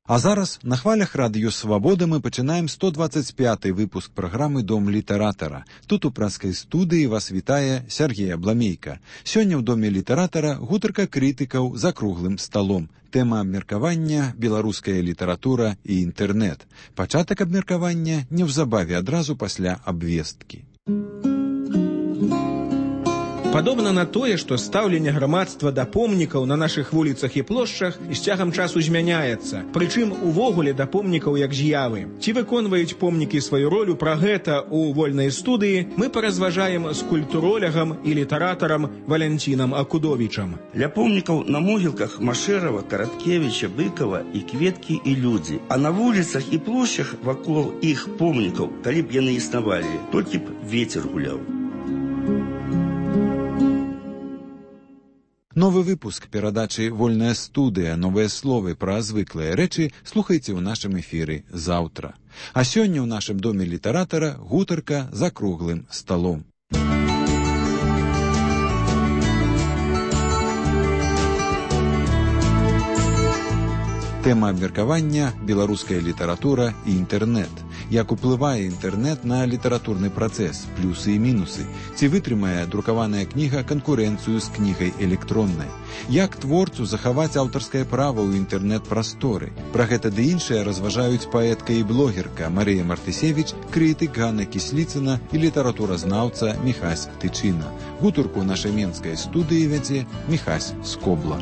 А зараз на хвалях Радыё Свабода мы пачынаем 125-й выпуск праграмы «Дом літаратара». Тут у пражскай студыі вас вітае Сергей Абламейка. Сёння ў Доме літаратара гутарка крытыкаў за круглым сталом. Тэма абмеркавання «Беларуская літаратура і інтэрнэт». Пачатак абмеркавання неўзабаве адразу пасля абвесткі. Падобна на тое, што стаўленне грамадства да помнікаў на нашых вуліцах і плошчах з цягам часу змяняецца. Прычым увогуле да помнікаў як з'явы. Ці выконваюць помнікі сваю ролю, пра гэта ў вольнай студыі мы паразважаем з культуролягам і літаратарам Валянцінам Акудовічам. Ля помнікаў на могілках Машэрава, Караткевіча, Быкава і кветкі і людзі. А на вуліцах і плошчах вакол іх помнікаў, калі б яны існавалі, толькі б вецер гуляў. Новы выпуск перадачы «Вольная студыя. Новыя словы пра звыклыя рэчы» слухайце ў нашым эфіры заўтра. А сёння ў нашым Доме літаратара гутарка за круглым сталом. Тэма абмеркавання «Беларуская літаратура і інтэрнэт». Як уплывае інтэрнэт на літаратурны працэс, плюсы і мінусы. Ці вытрымае друкаваная кніга канкурэнцыю з кнігай электроннай. Як творцу захаваць аўтарскае права ў інтэрнэт-прасторы. Пра гэта ды іншае разважаюць паэтка і блогерка Марыя Мартысевіч, крытык Ганна Кісліцына і літаратуразнаўца Міхась Тычына. Гутарку ў нашай менскай студыі вядзе Міхась Скобла.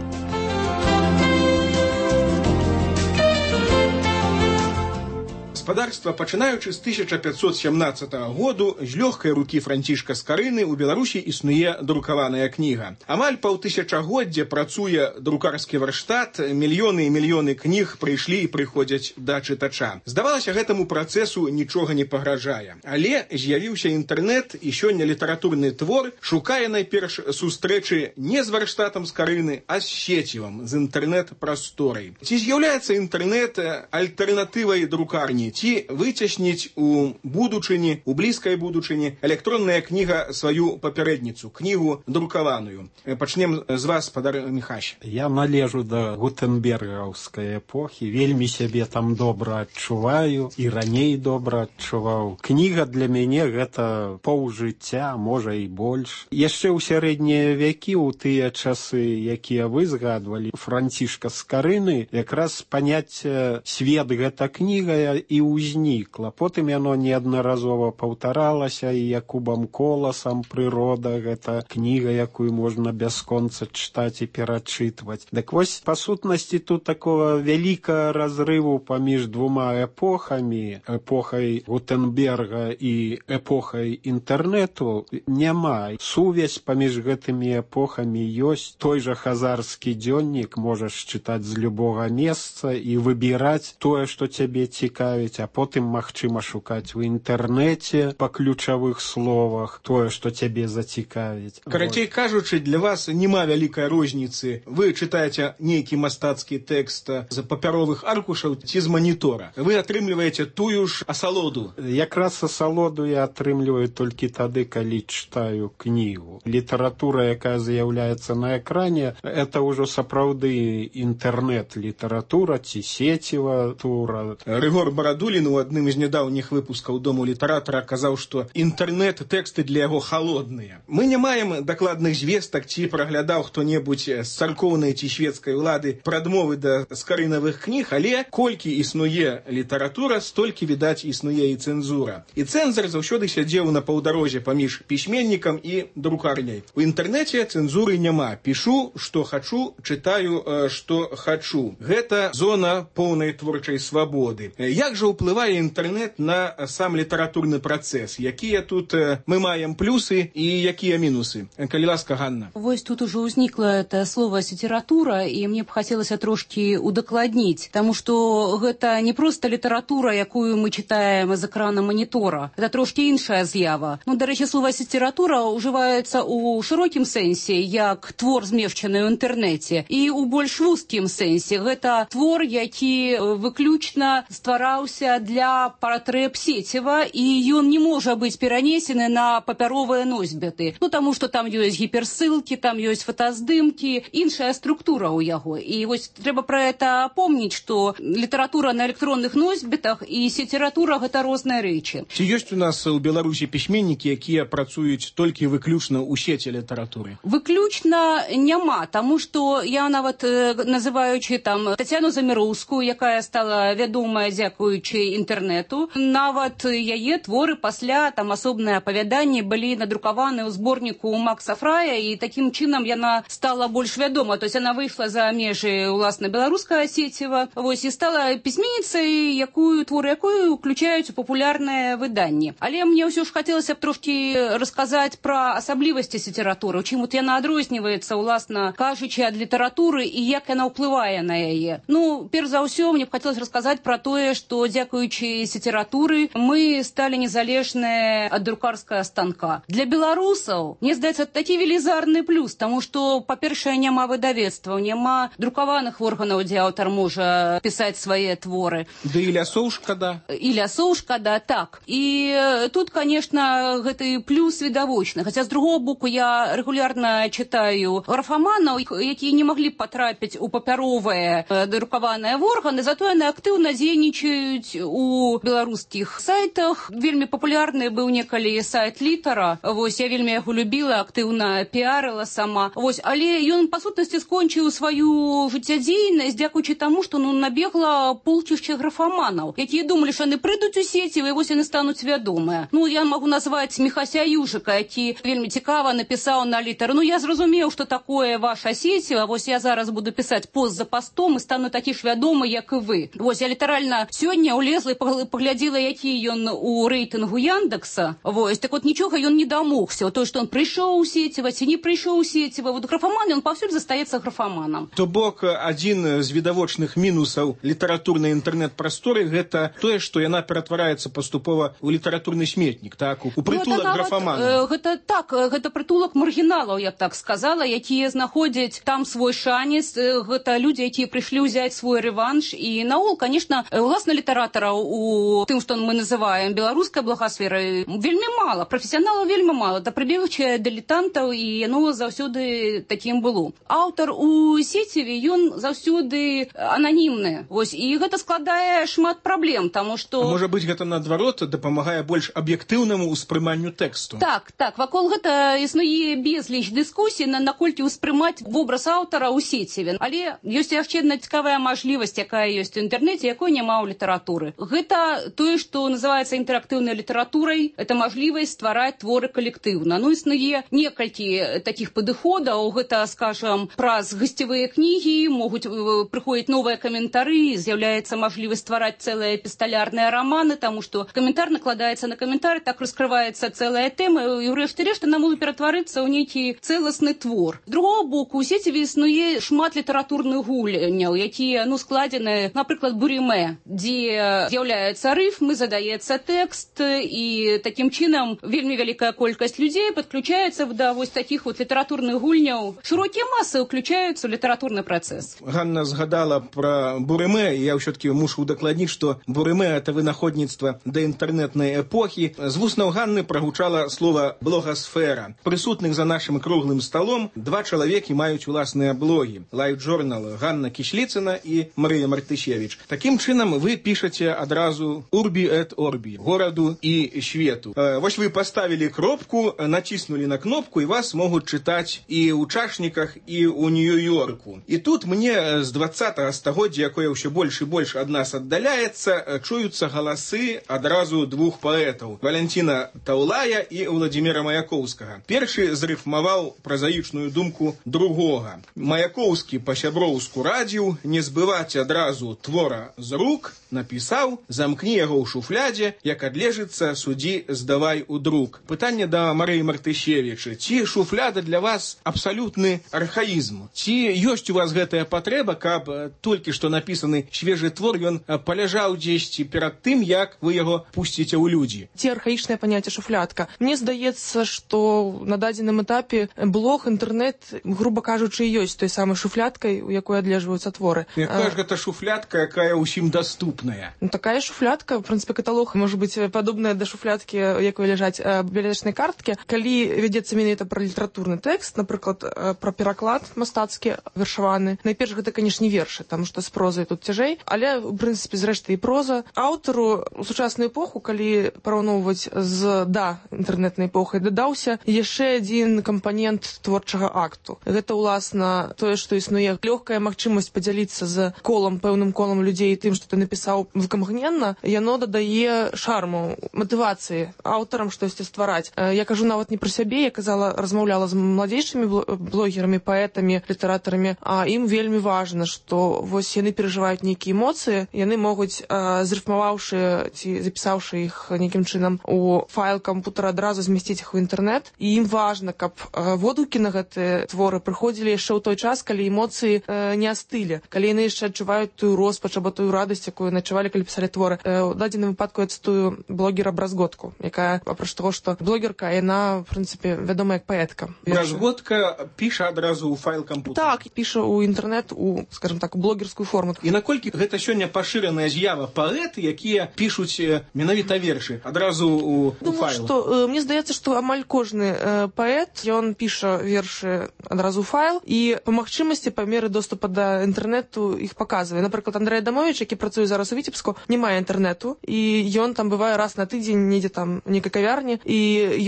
Гаспадарства, пачынаючы з 1517 году, з лёгкай рукі Францішка Скарыны ў Беларусі існуе друкаваная кніга. Амаль паўтысячагоддзя працуе друкарскі варштат, мільёны і мільёны кніг прыйшлі і прыходзяць да чытача. Здавалася, гэтаму працэсу нічога не пагражае. Але з'явіўся інтэрнэт, і сёння літаратурны твор шукае найперш сустрэчы не з варштатам Скарыны, а з сецівам, з інтэрнэт-прасторай. Ці з'яўляецца інтэрнэт альтэрнатывай друкарні? Ці выцесніць у будучыні, у блізкай будучыні электронная кніга сваю папярэдніцу, кнігу друкаваную. Пачнем з вас, спадар Міхась. Я належу да гутенбергаўскай эпохі, вельмі сябе там добра адчуваю і раней добра адчуваў. Кніга для мяне гэта паўжыцця, можа і больш. Яшчэ ў сярэднія вякі, у тыя часы, якія вы згадвалі, Францішка Скарыны, якраз паняцце свет гэта кніга і ўзнікла. Потым яно неаднаразова паўтаралася і Якубам Коласам «Прырода» гэта кніга, якую можна бясконца чытаць і перачытваць. Дык вось, па сутнасці, тут такого вялікага разрыву паміж двума эпохамі, эпохай Гутенберга і эпохай інтэрнэту, няма. Сувязь паміж гэтымі эпохамі ёсць. Той жа хазарскі дзённік можаш чытаць з любога месца і выбіраць тое, што цябе цікавіць, а потым магчыма шукаць у інтэрнэце па ключавых словах тое, што цябе зацікавіць. Карацей кажучы, для вас няма вялікай розніцы. Вы чытаеце нейкі мастацкі тэкст з папяровых аркушаў ці з манітора. Вы атрымліваеце тую ж асалоду. Якраз асалоду я атрымліваю толькі тады, калі чытаю кнігу. Літаратура, якая з'яўляецца на экране, это ўжо сапраўды інтэрнэт-літаратура ці сецева тура. Рыгор Барадулін у адным з нядаўніх выпускаў Дому літаратара казаў, што інтэрнэт-тэксты для яго халодныя. Мы не маем дакладных звестак, ці праглядаў хто-небудзь з царкоўнай ці свецкай улады прадмовы да скарынавых кніг, але колькі існуе літаратура, столькі, відаць, існуе і цэнзура. І цэнзар заўсёды сядзеў на паўдарозе паміж пісьменнікам і друкарняй. У інтэрнэце цэнзуры няма. Пішу, што хачу, чытаю, што хачу. Гэта зона поўнай творчай свабоды. Як жа ўплывае інтэрнэт на сам літаратурны працэс? Якія тут мы маем плюсы і якія мінусы? Калі ласка, Ганна. Вось тут уже ўзнікла это слово «літаратура», і мне б хацелася трошкі удакладніць, таму што гэта не проста літаратура, якую мы чытаем з экрана манітора. Это трошкі іншая з'ява. Ну, дарэчы, слово «літаратура» ўжываецца ў шырокім сэнсе, як твор, змешчаны ў інтэрнэце, і ў больш вузкім сэнсе. Гэта твор, які выключна ствараўся ствараўся для патрэб сеціва, і ён не можа быць перанесены на папяровыя носьбіты. Ну, таму што там ёсць гіперссылкі, там ёсць фотаздымкі, іншая структура ў яго. І вось трэба пра гэта помніць, што літаратура на электронных носьбітах і сеціратура гэта розныя рэчы. Ці ёсць у нас у Беларусі пісьменнікі, якія працуюць толькі выключна ў сеці літаратуры? Выключна няма, таму што я нават называючы там Тацяну Заміроўскую, якая стала вядомая дзякуючы інтэрнэту, нават яе творы пасля там асобныя апавяданні былі надрукаваны ў зборніку Макса Фрая, і такім чынам яна стала больш вядома. То есть яна выйшла за межы уласна беларускага сеціва, вось, і стала пісьменніцай, творы якую уключаюць у папулярныя выданні. Але мне ўсё ж хацелася б трошкі расказаць пра асаблівасці сеціратуры, чым вот яна адрозніваецца, уласна кажучы, ад літаратуры і як яна ўплывае на яе. Ну, перш за ўсё, мне б хацелася расказаць пра тое, што дзякуючы сеціратуры мы сталі незалежныя ад друкарскага станка. Для беларусаў, мне здаецца, такі велізарны плюс, таму што, па-першае, няма выдавецтваў, няма друкаваных органаў, дзе аўтар можа пісаць свае творы. Да і лясоў шкада. І лясоў шкада, так. І тут, конечно, гэты плюс відавочны. Хаця, з другого боку, я регулярна читаю графаманаў, якія не маглі б патрапіць у папяровыя друкаваныя органы, зато яны актыўна дзейнічаюць у беларускіх сайтах. Вельмі папулярны быў некалі сайт Літара. Вось, я вельмі яго любіла, актыўна піарыла сама. Вось, але ён, па сутнасці, скончыў сваю жыццядзейнасць дзякуючы таму, што набегла полчышча графаманаў, якія думалі, што яны прыйдуць у сеціва, і вось яны стануць вядомыя. Ну, я магу назваць Міхася Южыка, які вельмі цікава напісаў на Літар. Ну, я зразумеў, што такое ваша сеціва, вось я зараз буду пісаць пост за постом і стану такі ж вядомы, як і вы. Вось, я літаральна сёння ўлезла і паглядзела, які ён у рэйтынгу Яндекса. Вось, так вот нічога ён не дамогся. То, што ён прыйшоў у сеціва, ці не прыйшоў у сеціва. Вот графаман, ён паўсюль застаецца графаманам. То бок, адзін з відавочных мінусаў літаратурнай інтэрнэт-прасторы гэта тое, што яна ператвараецца паступова ў літаратурны сметнік, так, у прытулак графаманаў. Гэта так, гэта прытулак маргіналаў, я б так сказала, якія знаходзяць там свой шанец. Гэта людзі, якія прыйшлі ўзяць свой рэванш. І наогул, конечно, уласна літаратараў у тым, што мы называем беларускай благасферай, вельмі мала, прафесіяналаў вельмі мала, да прыбегчае дылетантаў, і яно заўсёды такім было. Аўтар у сеціве, ён заўсёды ананімны. Вось, і гэта складае шмат праблем, таму што... Можа быць, гэта наадварот дапамагае больш аб'ектыўнаму ўспрыманню тэксту. Так, вакол гэта існуе безліч дыскусій, наколькі ўспрымаць вобраз аўтара ў сеціве. Але ёсць яшчэ адна цікавая мажлівасць, якая ёсць у інтэрнэце, якой няма ў літаратуры. Гэта тое, што называецца інтэрактыўнай літаратурай, это мажлівасць ствараць творы калектыўна. Ну, існуе некалькі такіх падыходаў, гэта, скажам, праз гасцевыя кнігі, могуць прыходзіць новыя каментары, з'яўляецца мажлівасць ствараць цэлыя эпісталярныя раманы, таму што каментар накладаецца на каментар, так раскрываецца цэлая тэма, і ўрэшце рэшт яна можа ператварыцца ў нейкі цэласны твор. З другого боку, у сеціве існуе шмат літаратурных гульняў, якія, складзены, напрыклад, бурімэ, дзе з'яўляецца рыфмы, задаецца тэкст, і такім чынам вельмі вялікая колькасць людзей падключаецца да вось такіх вот літаратурных гульняў. Шырокія масы ўключаюцца ў літаратурны працэс. Ганна згадала пра бурымэ, я ўсё-таки мушу удакладніць, што бурымэ — это вынаходніцтва да інтэрнэтнай эпохі. З вуснаў Ганны прагучала слова «блогасфера». Прысутных за нашым круглым сталом два чалавекі маюць уласныя блогі. Лайф-журнал Ганна Кісліцына і Марыя Мартышевіч. Такім чынам вы пішаце адразу «Урбі эт Орбі» — гораду і свету. Вось вы паставілі кропку, націснулі на кнопку, і вас могуць чытаць і ў чашніках, і ў Нью-Йорку. І тут мне з 20-го стагоддзя, якое ўсё больш і больш ад нас аддаляецца, чуюцца галасы адразу двух паэтаў — Валянціна Таўлая і Владзіміра Маяковскага. Першы зрыфмаваў празаічную думку другога. Маяковскі па-сяброўску радзіў не збываць адразу твора з рук, напісаў: замкні яго ў шуфлядзе, як адлежыцца, судзі, здавай у друк. Пытанне да Марыі Мартышевіча: ці шуфляда для вас абсалютны архаізм? Ці ёсць у вас гэтая патрэба, каб толькі што напісаны свежы твор ён паляжаў дзесьці перад тым, як вы яго пусціце ў людзі? Ці архаічнае паняцце шуфлядка? Мне здаецца, што на дадзеным этапе блог, інтэрнэт, груба кажучы, ёсць той самай шуфлядкай, у якой адлежваюцца творы. Якая ж гэта шуфлядка, якая ўсім даступная? шуфлядная. Такая шуфлядка, в прынцыпе, каталог можа быць падобная да шуфлядкі, якой ляжаць бібліятэчнай карткі. Калі вядзецца менавіта пра літаратурны тэкст, напрыклад, пра пераклад мастацкі вершаваны, найперш гэта, канешне, вершы, таму што з прозай тут цяжэй, але, в прынцыпе, зрэшты і проза. Аўтару у сучасную эпоху, калі параўноўваць з інтэрнэтнай эпохай, дадаўся яшчэ адзін кампанент творчага акту. Гэта, уласна, тое, што існуе лёгкая магчымасць падзяліцца з пэўным колам людзей тым, што ты напісаў выкамгненна, яно дадае шарму, матывацыі аўтарам штосьці ствараць. Я кажу нават не пра сябе, я размаўляла з младзейшымі блогерамі, паэтамі, літаратарамі, а ім вельмі важна, што вось яны перажываюць нейкія эмоцыі, яны могуць, зрыфмаваўшы ці запісаўшы іх нейкім чынам у файл кампутара, адразу змясціць іх у інтэрнэт, і ім важна, каб водгукі на гэтыя творы прыходзілі яшчэ ў той час, калі эмоцыі не астылі, калі яны яшчэ адчуваюць тую роспач або тую радасць, якую адчувалі, калі пісалі творы. У дадзеным выпадку я цытую блогера Бразготку, якая, апроч таго, што блогерка, яна, в прынцыпе, вядома як паэтка. Бразготка піша адразу ў файл кампутара. Так, піша ў інтэрнэт, скажем так, у блогерскую форму. І наколькі гэта сёння пашыраная з'ява паэты, якія пішуць менавіта вершы адразу ў файл? Думаю, мне здаецца, што амаль кожны паэт, ён піша вершы адразу ў файл, і па магчымасці, па меры доступа да інтэрнэту іх паказвае. Напрыклад, Андрэй Адамович, які працуе зараз у Віцебску, не мае інтэрнэту, і ён там бывае раз на тыдзень, недзе там нейкай кавярні, і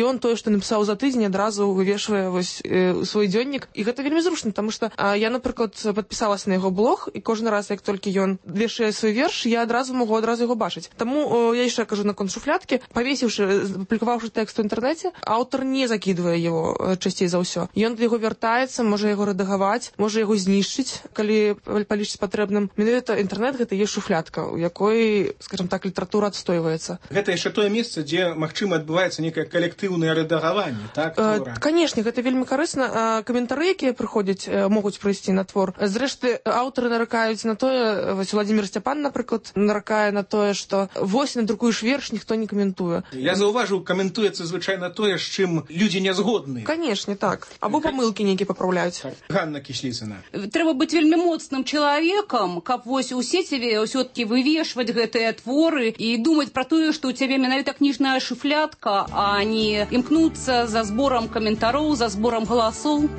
ён тое, што напісаў за тыдзень, адразу вывешвае вось свой дзённік. І гэта вельмі зручна, таму што я, напрыклад, падпісалася на яго блог, і кожны раз, як толькі ён вешае свой верш, я адразу магу яго бачыць. Таму я яшчэ кажу наконт шуфлядкі, павесіўшы, апублікаваўшы тэкст у інтэрнэце, аўтар не закідвае яго часцей за ўсё. Ён да яго вяртаецца, можа яго рэдагаваць, можа яго знішчыць, калі палічыць патрэбным. Менавіта інтэрнэт гэта ёсць шуфлядка, у якой, скажем так, літаратура адстойваецца. Гэта яшчэ тое месца, дзе, магчыма, адбываецца нейкае калектыўнае рэдагаванне, так? Канешне, гэта вельмі карысна. Каментары, якія прыходзяць, могуць прыйсці на твор. Зрэшты, аўтары наракаюць на тое, вось Владзімір Сцяпан, напрыклад, наракае на тое, што вось надрукуеш верш, ніхто не каментуе. Я заўважыў, каментуецца звычайна тое, з чым людзі не згодны. Канешне, так. Або памылкі нейкія папраўляюць. Ганна Кісліцына. Трэба быць вельмі моцным чалавекам, каб вось у сеціве ўсё-такі вывешваць гэтыя творы і думаць пра тое, што ў цябе менавіта кніжная шуфлядка, а не імкнуцца за зборам каментароў, за зборам галасоў.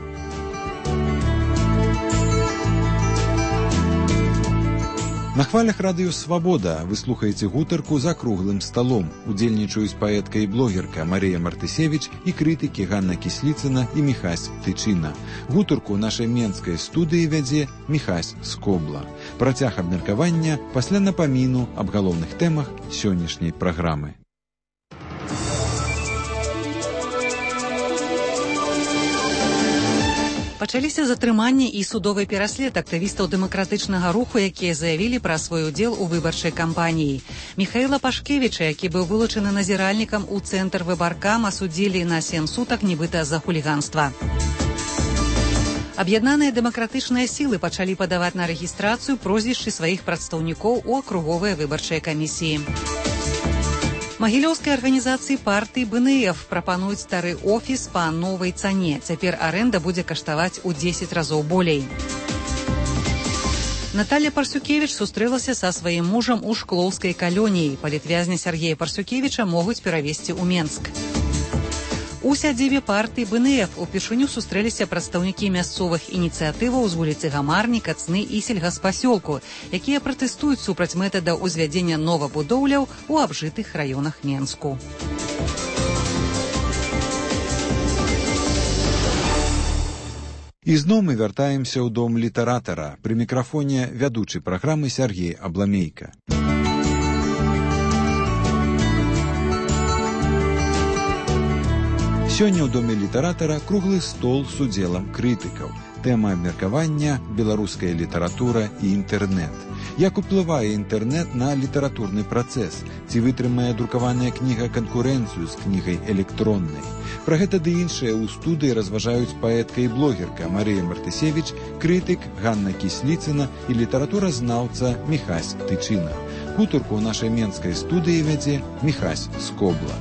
На хвалях радыё «Свабода» вы слухаеце гутарку за круглым сталом. Удзельнічаюць паэтка і блогерка Марыя Мартысевіч і крытыкі Ганна Кісліцына і Міхась Тычына. Гутарку нашай менскай студыі вядзе Міхась Скобла. Працяг абмеркавання пасля напаміну аб галоўных тэмах сённяшняй праграмы. Пачаліся затрыманні і судовы пераслед актывістаў дэмакратычнага руху, якія заявілі пра свой удзел у выбарчай кампаніі. Міхаіла Пашкевіча, які быў вылучаны назіральнікам у цэнтр выбаркам, асудзілі на 7 сутак нібыта за хуліганства. Аб'яднаныя дэмакратычныя сілы пачалі падаваць на рэгістрацыю прозвішчы сваіх прадстаўнікоў у акруговыя выбарчыя камісіі. Магілёўскай арганізацыі партыі БНФ прапануюць стары офіс па новай цане. Цяпер арэнда будзе каштаваць у 10 разоў болей. Наталья Парсюкевіч сустрэлася са сваім мужам у Шклоўскай калоніі. Палітвязня Сергея Парсюкевіча могуць перавезці ў Менск. У сядзібе партыі БНФ упершыню сустрэліся прадстаўнікі мясцовых ініцыятываў з вуліцы Гамарні, Кацны і сельгаспасёлку, якія пратэстуюць супраць метада ўзвядзення новабудоўляў у абжытых раёнах Менску. І зноў мы вяртаемся ў дом літаратара. Пры мікрафоне вядучы праграмы Сергей Абламейка. Сёння ў доме літаратара круглы стол з удзелам крытыкаў. Тэма абмеркавання – беларуская літаратура і інтэрнэт. Як уплывае інтэрнэт на літаратурны працэс? Ці вытрымае друкаваная кніга канкурэнцыю з кнігай электроннай? Пра гэта ды іншае ў студыі разважаюць паэтка і блогерка Марыя Мартысевіч, крытык Ганна Кісліцына і літаратуразнаўца Міхась Тычына. Гутарку ў нашай менскай студыі вядзе Міхась Скобла.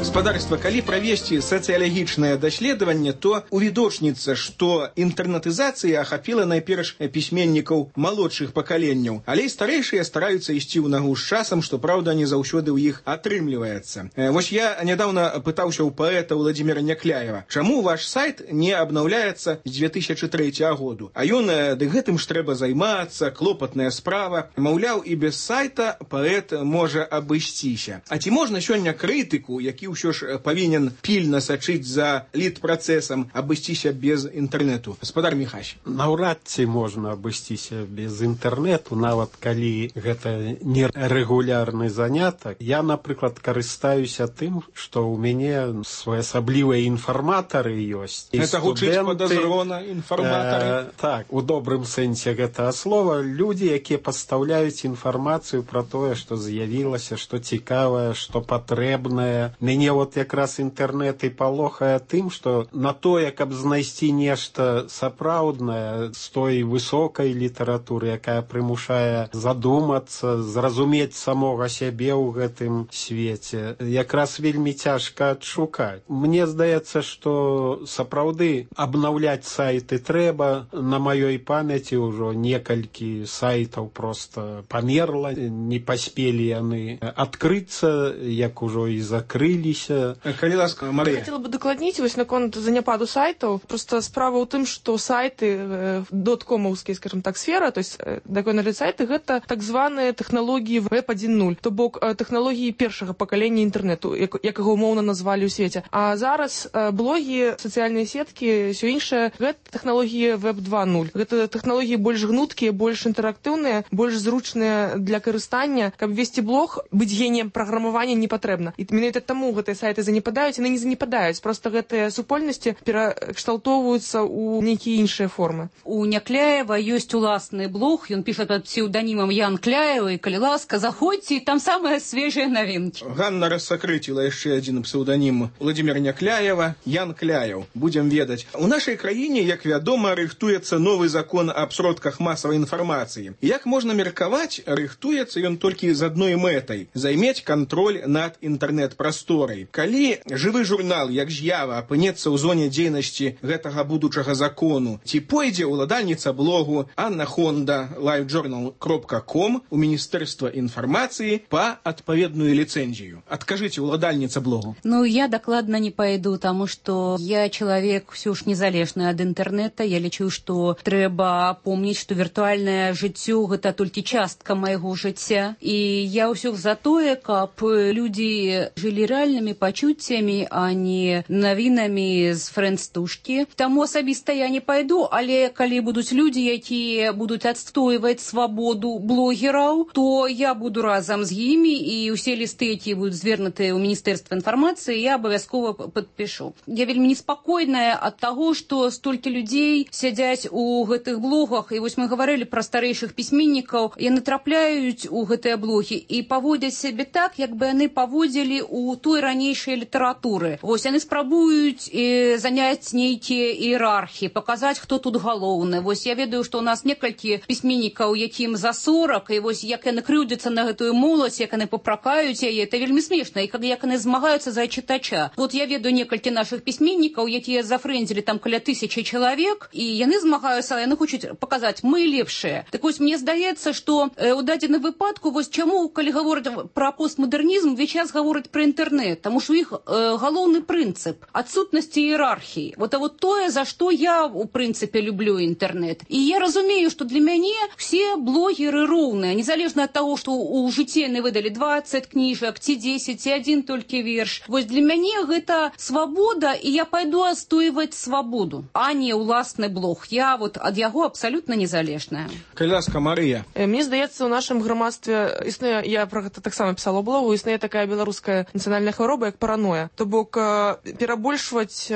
Гаспадарства, калі правесці сацыялагічнае даследаванне, то увідочніцца, што інтэрнетызацыя ахапіла найперш пісьменнікаў малодшых пакаленняў, але і старэйшыя стараюцца ісці ў нагу з часам, што, праўда, не заўсёды ў іх атрымліваецца. Вось я нядаўна пытаўся ў паэта Владимира Някляева, чаму ваш сайт не абнаўляецца з 2003 году? А ён, ды гэтым ж трэба займацца, клопатная справа. Маўляў, і без сайта паэт можа абысціся. А ці можна сёння крытыку, які ўсё ж павінен пільна сачыць за літпрацэсам, абысціся без інтэрнэту? Гаспадар Міхась. Наўрад ці можна абысціся без інтэрнэту, нават калі гэта нерэгулярны занятак. Я, напрыклад, карыстаюся тым, што ў мяне своеасаблівыя інфарматары ёсць. Гэта гучыць падазрона, інфарматары? Так, у добрым сэнсе гэтага слова. Людзі, якія пастаўляюць інфармацыю пра тое, што з'явілася, што цікавае, што патрэбнае. Мяне вот якраз інтэрнэт і палохае тым, што на тое, каб знайсці нешта сапраўднае з той высокай літаратуры, якая прымушае задумацца, зразумець самога сябе ў гэтым свеце, якраз вельмі цяжка адшукаць. Мне здаецца, што сапраўды абнаўляць сайты трэба. На маёй памяці ўжо некалькі сайтаў проста памерла, не паспелі яны адкрыцца, як ужо і закрыліся. Калі ласка, Марыя. Хотела бы дакладніць вось наконт заняпаду сайтаў. Просто справа ў тым, што сайты доткомаўскія, скажем так, сфера, то есть такой налет сайты, гэта так званыя тэхналогіі Web 1.0, то бок тэхналогіі першага пакалення інтэрнэту, як яго умоўна назвалі ў свеце. А зараз блогі, сацыяльныя сеткі, ўсё іншае, гэта тэхналогіі Web 2.0. Гэта тэхналогіі больш гнуткія, больш інтэрактыўныя, больш зручныя для карыстання. Каб весці блог, быць геніем праграмавання не патрэбна. І менавіта таму гэтыя сайты занепадаюць, яны не занепадаюць. Просто гэтыя супольнасці перакшталтоўваюцца ў нейкія іншыя формы. У Някляева ёсць уласны блог, ён піша пад псеўданімам Ян Кляева, і калі ласка, заходзьце, там самыя свежыя навінкі. Ганна рассакрыціла яшчэ адзін псеўданім Владимира Някляева, Ян Кляев. Будзем ведаць. У нашай краіне, як вядома, рыхтуецца новы закон аб сродках масавай інфармацыі. Як можна меркаваць, рыхтуецца ён толькі з адной мэтай – займець кантроль над інтэрнэт-прасторай. Калі жывы журнал, як з'ява, апынецца ў зоне дзейнасці гэтага будучага закону, ці пойдзе ўладальніца блогу Анна Хонда livejournal.com у Міністэрства інфармацыі па адпаведную ліцэнзію? Адкажыце, ўладальніца блогу. Ну, я дакладна не пойду, таму што я чалавек ўсё ж незалежны ад інтэрнэта. Я лічу, што трэба помніць, што віртуальнае жыццё – гэта толькі частка майго жыцця. І я ўсё за тое, каб людзі жылі рэальнымі пачуццямі, а не навінамі з фрэндстушкі. Таму асабіста я не пайду, але калі будуць людзі, якія будуць адстойваць свабоду блогераў, то я буду разам з імі, і ўсе лісты, якія будуць звернутыя ў Міністэрства інфармацыі, я абавязкова падпішу. Я вельмі неспакойная ад таго, што столькі людзей сядзяць у гэтых блогах, і вось мы гаварылі пра старэйшых пісьменнікаў, яны трапляюць у гэтыя блогі і паводзяць сябе так, як бы яны паводзілі у той ранейшай літаратуры. Вось яны спрабуюць заняць нейкія іерархіі, паказаць, хто тут галоўны. Вось я ведаю, што ў нас некалькі пісьменнікаў, якім за 40, і вось як яны крыўдзяцца на гэтую моладзь, як яны папракаюць яе, это вельмі смешна, і як яны змагаюцца за чытача. Вот я ведаю некалькі нашых пісьменнікаў, якія зафрэндзілі там каля 1000 чалавек, і яны змагаюцца, яны хочуць паказаць, мы лепшыя. Так вось мне здаецца, што у дадзеным выпадку, вось чаму, калі гавораць пра постмадэрнізм, увесь час гавораць пра інтэрнэт, таму што іх галоўны прынцып адсутнасці іерархіі. Вот тое, за што я, у прынцыпе, люблю інтэрнэт. І я разумею, што для мяне все блогеры роўныя, незалежна ад таго, што ў жыцці яны выдалі 20 кніжак, ці 10, ці адзін толькі верш. Вось для мяне гэта свабода, і я пайду адстойваць свабоду, а не ўласны блог. Я вот ад яго абсалютна незалежная. Калі ласка, Марыя. Мне здаецца, у нашым грамадстве існуе, я пра гэта таксама пісала ў блогу, існуе такая беларуская нацыянальная хвароба, як параноя. То бок перабольшваць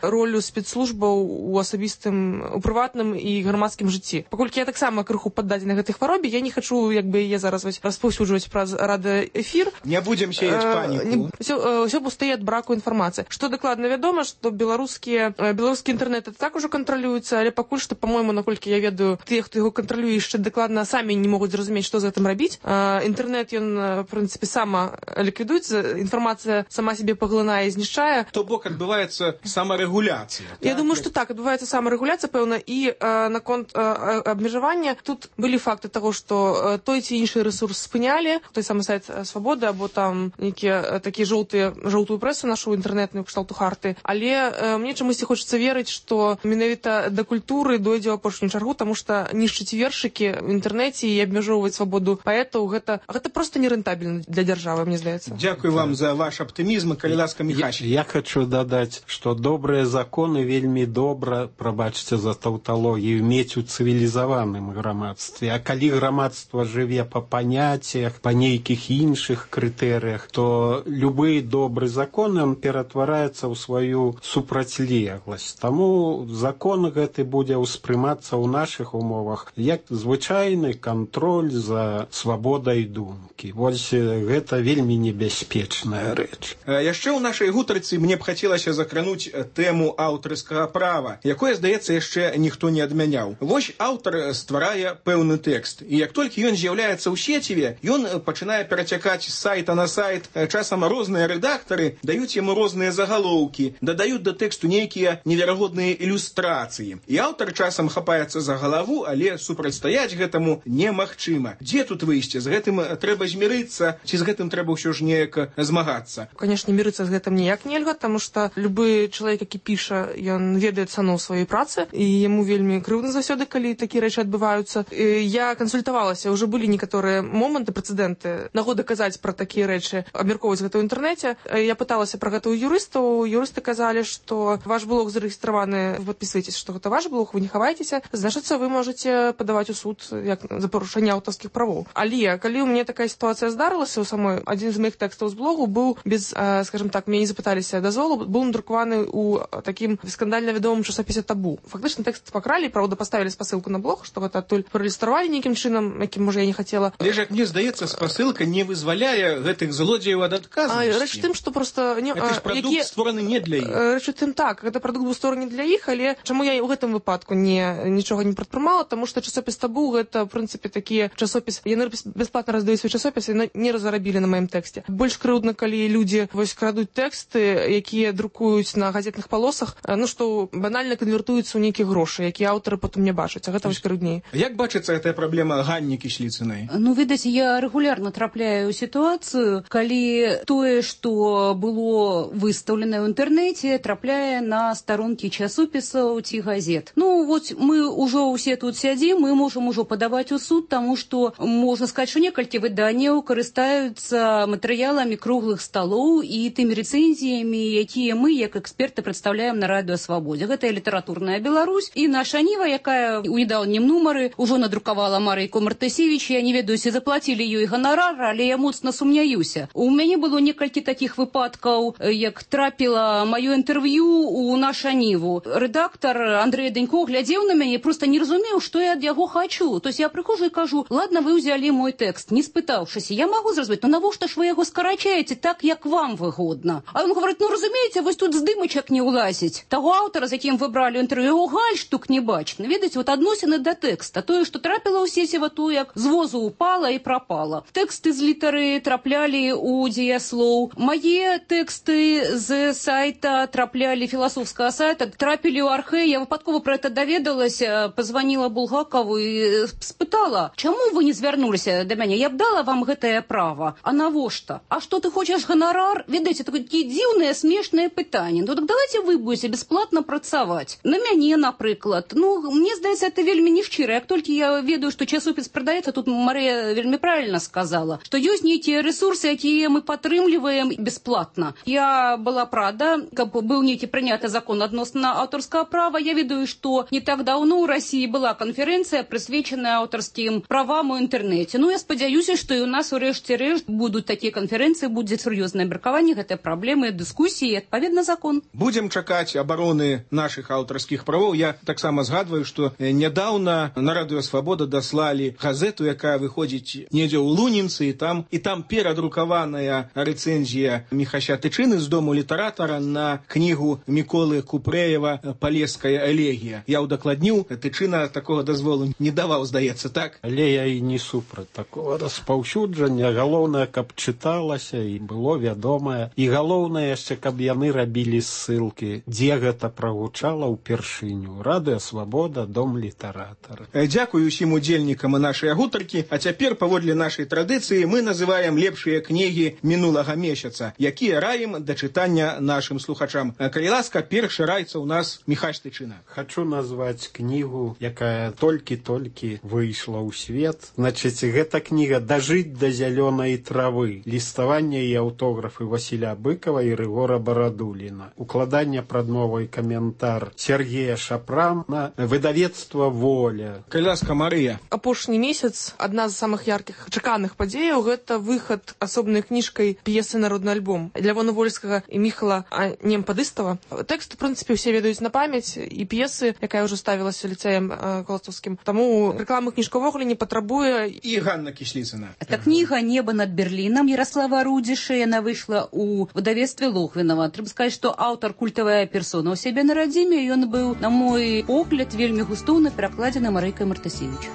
ролю спецслужбаў у асабістым, у прыватным і грамадскім жыцці. Паколькі я таксама крыху паддадзена гэтай хваробе, я не хачу, як бы яе зараз распаўсюджваць праз радыёэфір. Не будзем сеяць паніку. Усё пустые ад браку інфармацыі. Што дакладна вядома, што беларускі інтэрнэт так ужо кантралюецца, але пакуль што, па-мойму, наколькі я ведаю, тыя, хто яго кантралюе, яшчэ дакладна самі не могуць зразумець, што з гэтым рабіць. Інтэрнэт, ён, в прынцыпе, сама ліквідуецца, інфармацыя інтэрнэт сама себе паглынае і знішчае. То бок адбываецца самарэгуляцыя. Я думаю, што так, адбываецца самарэгуляцыя, пэўна, і наконт абмежавання тут былі факты таго, што той ці іншы рэсурс спынялі, той самы сайт Свабоды, або там нейкія такія жоўтую прэсу нашу інтэрнетную кшталту Харты. Але мне чамусьці хочацца верыць, што менавіта да культуры дойдзе ў апошнюю чаргу, таму што нішчыць вершыкі в інтэрнэце і абмяжоўваць свабоду паэтаў, гэта проста нерэнтабельна для дзяржавы, мне здаецца. Дзякую вам за ваш аптымізм, калі ласка, Міхась. Я хочу дадаць, што добрыя законы вельмі добра, прабачце за таўталогію, мець у цывілізаваным грамадстве. А калі грамадства жыве па паняццях, па нейкіх іншых крытэрыях, то любы добры закон ён ператвараецца ў сваю супрацьлегласць. Таму закон гэты будзе ўспрымацца ў нашых умовах як звычайны кантроль за свабодай думкі. Вось гэта вельмі небяспечная рэч. Яшчэ ў нашай гутарцы мне б хацелася закрануць тэму аўтарскага права, якое, здаецца, яшчэ ніхто не адмяняў. Вось аўтар стварае пэўны тэкст, і як толькі ён з'яўляецца ў сеціве, ён пачынае перацякаць з сайта на сайт. Часам розныя рэдактары даюць яму розныя загалоўкі, дадаюць да тэксту нейкія неверагодныя ілюстрацыі. І аўтар часам хапаецца за галаву, але супрацьстаяць гэтаму немагчыма. Дзе тут выйсце? З гэтым трэба змірыцца, ці з гэтым трэба ўсё ж неяк змагацца? Канешне, мірыцца з гэтым ніяк нельга, таму што любы чалавек, які піша, ён ведае цану сваёй працы, і яму вельмі крыўдна заўсёды, калі такія рэчы адбываюцца. Я кансультавалася, ўжо былі некаторыя моманты, прэцэдэнты, нагода казаць пра такія рэчы, абмяркоўваць гэта ў інтэрнэце. Я пыталася пра гэта ў юрыстаў. Юрысты казалі, што ваш блог зарэгістраваны, вы падпісваецеся, што гэта ваш блог, вы не хаваецеся, значыцца, вы можаце падаваць у суд як за парушэнне аўтарскіх правоў. Але калі ў мяне такая сітуацыя здарылася, у самой адзін з моих тэкстаў з блогу быў без, скажем так, мяне не запыталіся дазволу, быў надрукаваны ў такім скандальна вядомым часопісе «Табу». Фактычна тэкст пакралі, правда, паставілі спасылку на блог, што гэта адтуль праілюстравалі нейкім чынам, якім, можа, я не хацела. Але ж, як мне здаецца, спасылка не вызваляе гэтых злодзеяў ад адказнасці. Рэч тым, што проста гэта ж прадукт створаны не для іх. Рэч тым, так, гэта прадукт быў створаны для іх, але чаму я ў гэтым выпадку нічога не прадпрымала, таму што часопіс «Табу» гэта, в прынцыпе, такі часопіс, яны бясплатна раздаюць свой часопіс і не разарабілі на маім тэксце. Больш крыўдна, калі людзі вось крадуць тэксты, якія друкуюць на газетных палосах, ну што банальна канвертуюцца ў нейкія грошы, якія аўтары потым не бачаць, а гэта вось крыўдней. Як бачыцца гэтая праблема Ганні Кісліцынай? Ну, відаць, я рэгулярна трапляю ў сітуацыю, калі тое, што было выстаўлена ў інтэрнэце, трапляе на старонкі часопісаў ці газет. Ну, вот мы ўжо ўсе тут сядзім, мы можам ужо падаваць у суд, таму што можна сказаць, што некалькі выданняў карыстаюцца матэрыяламі круглых сталоў і тымі рэцэнзіямі, якія мы, як эксперты, прадстаўляем на Радыё Свабодзе. Гэта літаратурная Беларусь і наша Ніва, якая ў недаўнім нумары ўжо надрукавала Марыйку Мартысевіч. Я не ведаю, ці заплацілі ёй ганарар, але я моцна сумняюся. У мяне было некалькі такіх выпадкаў, як трапіла маё інтэрв'ю у наша Ніву. Рэдактар Андрэй Данько глядзеў на мяне, проста не разумеў, што я ад яго хачу. То есть я прыхожу і кажу: ладно, вы ўзялі мой тэкст, не спытаўшыся. Я магу зразумець, ну навошта ж вы яго скарачаеце так, як вам выгодна? А ён говорит: ну разумееце, вось тут здымачак не ўлазіць. Таго аўтара, з якім вы бралі інтэрв'ю, гальштук не бачна. Ведаеце, вот адносіны да тэкста. Тое, што трапіла ў сеціва, то як з возу упала і прапала. Тэксты з літары траплялі ў дзеяслоў. Мае тэксты з сайта траплялі, філасофскага сайта, трапілі ў архэ. Я выпадкова пра гэта даведалася, пазваніла Булгакову і спытала: чаму вы не звярнуліся да мяне? Я б дала вам гэтае права. А навошта? А што ты хочаш ганарар? Ведаеце, такія дзіўныя, смешныя пытанні. Ну так давайте вы будете бесплатно працаваць. На мяне, напрыклад. Ну, мне здаецца, это вельмі нешчыра. Як толькі я ведаю, што часопіс прадаецца, тут Марыя вельмі правильно сказала, што ёсць нейкія рэсурсы, якія мы падтрымліваем бесплатна. Я была рада, каб быў нейкі прыняты закон адносна аўтарскага права. Я ведаю, што не так даўно ў Расіі была канферэнцыя, прысвечаная аўтарскім правам у інтэрнэце. Ну, я спадзяюся, што і у нас у рэшце рэшт будуць такія канферэнцыі, будзе сур'ёзнае абмеркаванне гэтай праблемы, дыскусіі і адпаведна закон. Будзем чакаць абароны нашых аўтарскіх правоў. Я таксама згадваю, што нядаўна на Радыё Свабода даслалі газету, якая выходзіць недзе ў Лунінцы, і там перадрукаваная рэцэнзія Міхася Тычыны з дому літаратара на кнігу Міколы Купрэева «Палеская элегія». Я ўдакладніў, Тычына такога дазволу не даваў, здаецца, так? Але я і не супраць такого распаўсюджання. Галоўнае, каб чыталася і было вядомая. І галоўнае яшчэ, каб яны рабілі ссылкі, дзе гэта прагучала ўпершыню. Радыё Свабода, дом літаратара. Дзякую усім удзельнікам нашай гутаркі, а цяпер паводле нашай традыцыі мы называем лепшыя кнігі мінулага месяца, якія раім да чытання нашым слухачам. Калі ласка, першы раіцца ў нас Міхась Тычына. Хачу назваць кнігу, якая толькі-толькі выйшла ў свет. Значыць, гэта кніга «Дажыць да зялёнай травы». Ліставанне і аўтографы Васіля Быкова і Рыгора Барадуліна. Укладанне прадмовы і каментар Сергея Шапрана. Выдавецтва «Воля». Калі ласка, Марыя. Апошні месяц адна з самых яркіх чаканых падзеяў гэта выхад асобнай кніжкай п'есы «Народны альбом» Лявона Вольскага і Міхала Немпадыстава. Тэкст, у прынцыпе, усе ведаюць на памяць, і п'есы, якая ўжо ставілася ліцэем Коластаўскім. Таму рэкламы кніжка ўвогуле не патрабуе. І Ганна Кісліцына. Это кніга «Небо над Берліном» Ярослава Рудзіша. Яна выйшла ў выдавецтве Логвінава. Трэба сказаць, што аўтар культавая персона ў сябе на радзіме. Ён быў, на мой погляд, вельмі густоўна перакладзены Марыйкай Мартасевіч.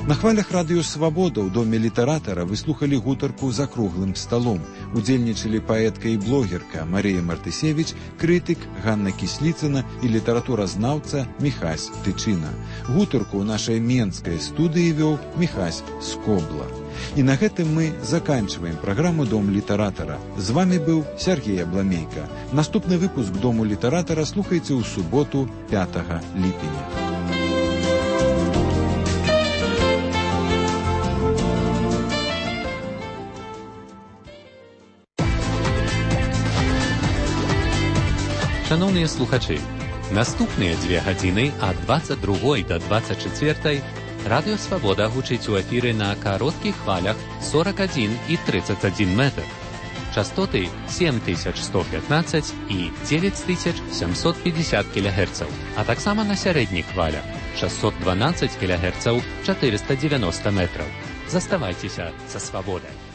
На хвалях радыё «Свабода» ў доме літаратара вы слухалі гутарку «За круглым сталом». Удзельнічалі паэтка і блогерка Марыя Мартысевіч, крытык Ганна Кісліцына і літаратуразнаўца Міхась Тычына. Гутарку ў нашай менскай студыі вёў Міхась Скобла. І на гэтым мы заканчиваем праграму «Дом літаратара». З вами быў Сергей Абламейка. Наступны выпуск «Дому літаратара» слухайце ў суботу 5 ліпеня. Шановні слухачі, наступныя 2 гадзіны ад 22 до 24 Радыё Свабода гучыць у эфіры на кароткіх хвалях 41 і 31 метр. Частоты 7115 і 9750 кГц, а таксама на сярэдніх хвалях 612 кГц 490 метраў. Заставайцеся са Свабодай.